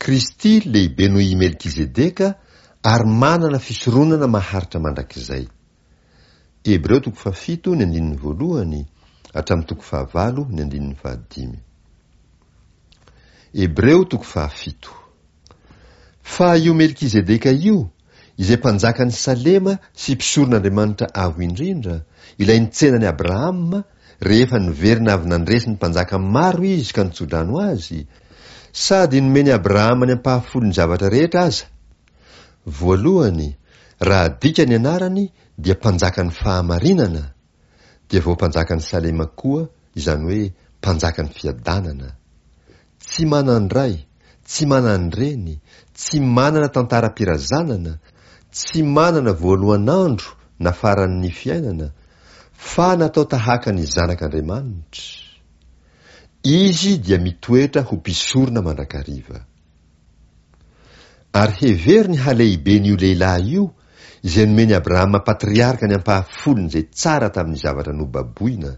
Kristy lehibe noho i Melkizedeka ary manana fisoronana maharitra mandrakizay. Hebreo toko fahafito ny andininy voalohany hatramin'ny toko fahavalo ny andininy fahadimy. Hebreo toko fahafito. Fa io Melkizedeka io, izay mpanjakan'i Salema sy mpisoron'Andriamanitra Avo Indrindra, ilay nitsena an'i Abrahama rehefa niverina avy nandresy ny mpanjaka maro izy ka nitsodrano azy, sady nomen'i Abrahama ny ampahafolon'ny zavatra rehetra aza. Voalohany, raha adika ny anarany dia mpanjakan'ny fahamarinana, dia vao mpanjakan'i Salema koa, izany hoe mpanjakan'ny fiadanana. Tsy manan-dray, tsy manan-dreny, tsy manana tantaram-pirazanana, tsy manana voalohan'andro na faran'ny fiainana, fa natao tahaka ny Zanak'Andriamanitra. Izy dia mitoetra ho mpisorona mandrakariva. Ary hevero ny halehiben'io lehilahy io izay nomen'i Abrahama patriarka ny ampahafolon'izay tsara tamin'ny zavatra nobaboina.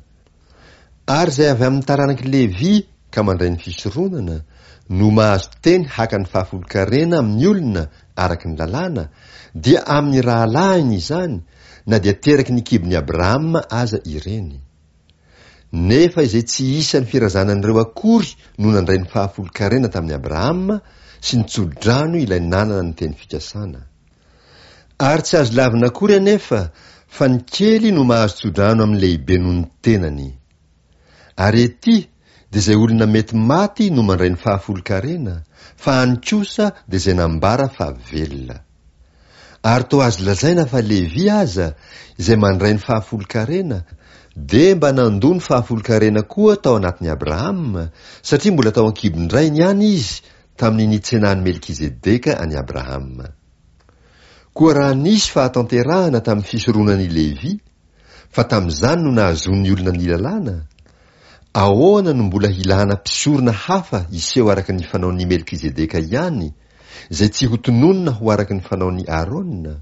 Ary izay avy amin'ny taranak'i Levy ka mandray ny fisoronana no mahazo teny haka ny fahafolon-karena amin'ny olona araka ny lalàna, dia amin'ny rahalahiny izany, na dia teraky ny kibon'i Abrahama aza ireny. Nefa izay tsy isan'ny firazanan'ireo akory no nandray ny fahafolon-karena tamin'i Abrahama sy nitso-drano ilay nanana ny teny fikasana. Ary tsy azo lavina akory anefa fa ny kely no mahazo tso-drano amin'ny lehibe noho ny tenany. Ary ety dia izay olona mety maty no mandray ny fahafolon-karena, fa any kosa dia izay nambara fa velona. Ary toa azo lazaina fa Levy aza, izay mandray ny fahafolon-karena, dia mba nandoa ny fahafolon-karena koa tao anatin'i Abrahama, satria mbola tao an-kibon-drainy ihany izy tamin'ny nitsenan'i Melkizedeka an'i Abrahama. Koa raha nisy fahatanterahana tamin'ny fisoronan'i Levy, fa tamin'izany no nahazoan'ny olona ny lalàna, ahoana no mbola hilana mpisorona hafa hiseho araka ny fanaon'i Melkizedeka ihany, izay tsy hotononina ho araka ny fanaon'i Aarona?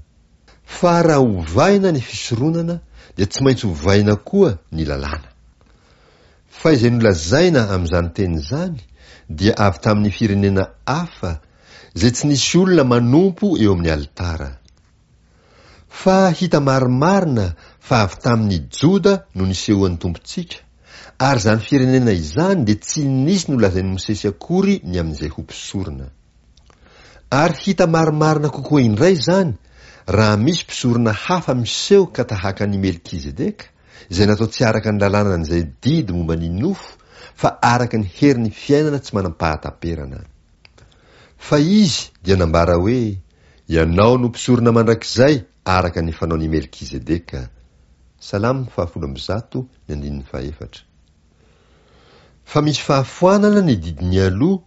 Fa raha ovaina ny fisoronana dia tsy maintsy ovaina koa ny lalàna. Fa izay nolazaina amin'izany teny izany dia avy tamin'ny firenena hafa izay tsy nisy olona manompo eo amin'ny alitara. Fa hita marimarina fa avy tamin' ny Joda no nisehoan' ny Tompontsika, ary izany firenena izany dia tsy nisy nolazain' i Mosesy akory ny amin' izay ho mpisorona. Ary hita marimarina kokoa indray izany raha misy mpisorona hafa miseho ka tahaka an' i Melkizedeka, izay natao tsy araka ny lalànan' izay didy momba ny nofo, fa araka ny herin' ny fiainana tsy manam-pahataperana. Fa izy dia nambara hoe, Ianao no mpisorona mandrakizay araka ny fanaon' i Melkizedeka. Salamo fahafolo ambizato ny andininy fahefatra. Fa misy fahafoanana ny didy mialoha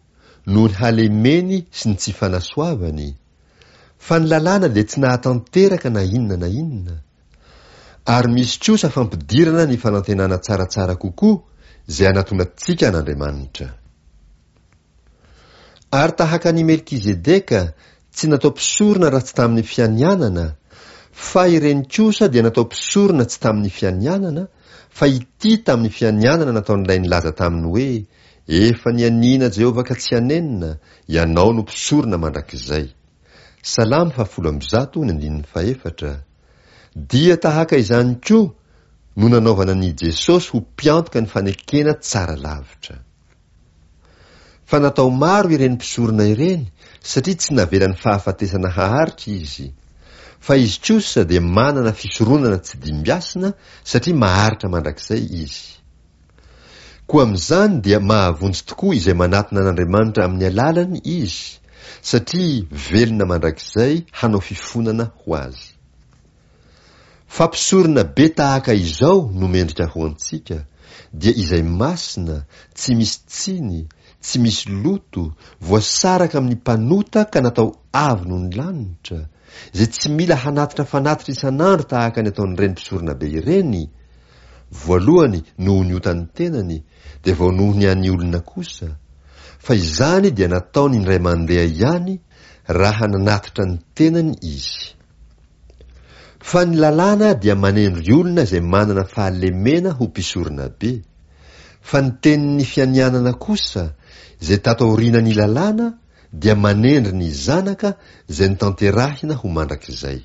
noho ny halemeny sy ny tsy fanasoavany, fa ny lalàna dia tsy nahatanteraka na inona na inona, ary misy kosa fampidirana ny fanantenana tsaratsara kokoa izay anatonantsika an'Andriamanitra. Ary tahaka an' i Melkizedeka, tsy natao mpisorona raha tsy tamin' ny fianianana, fa ireny kosa dia natao mpisorona tsy tamin' ny fianianana, fa ity tamin' ny fianianana nataon' ilay nilaza taminy hoe, Efa nianiana Jehovah ka tsy hanenina, ianao no mpisorona mandrakizay. Salamo fahafolo ambizato ny andininy fahefatra. Dia tahaka izany koa no nanaovana an' i Jesosy ho mpiantoka ny fanekena tsara lavitra. Fa natao maro ireny mpisorona ireny satria tsy navelan'ny fahafatesana haharitra izy. Fa izy kosa dia manana fisoronana tsy dimbiasina satria maharitra mandrakizay izy. Koa amin'izany dia mahavonjy tokoa izay manatona an'Andriamanitra amin'ny alalany izy, satria velona mandrakizay hanao fifonana ho azy. Fa mpisorona be tahaka izao no mendrika ho antsika, dia izay masina, tsy misy tsiny, tsy misy loto, voasaraka amin'ny mpanota ka natao avo noho ny lanitra, izay tsy mila hanatitra fanatitra isan'andro tahaka ny ataon'ireny mpisoronabe ireny, voalohany noho ny otan'ny tenany, dia vao noho ny an'ny olona kosa, fa izany dia nataony indray mandeha ihany raha nanatitra ny tenany izy. Fa ny lalàna dia manendry olona izay manana fahalemena ho mpisoronabe, fa ny tenin'ny fianianana kosa, izay tato aorianan'ny lalàna, dia manendry ny Zanaka izay notanterahina ho mandrakizay.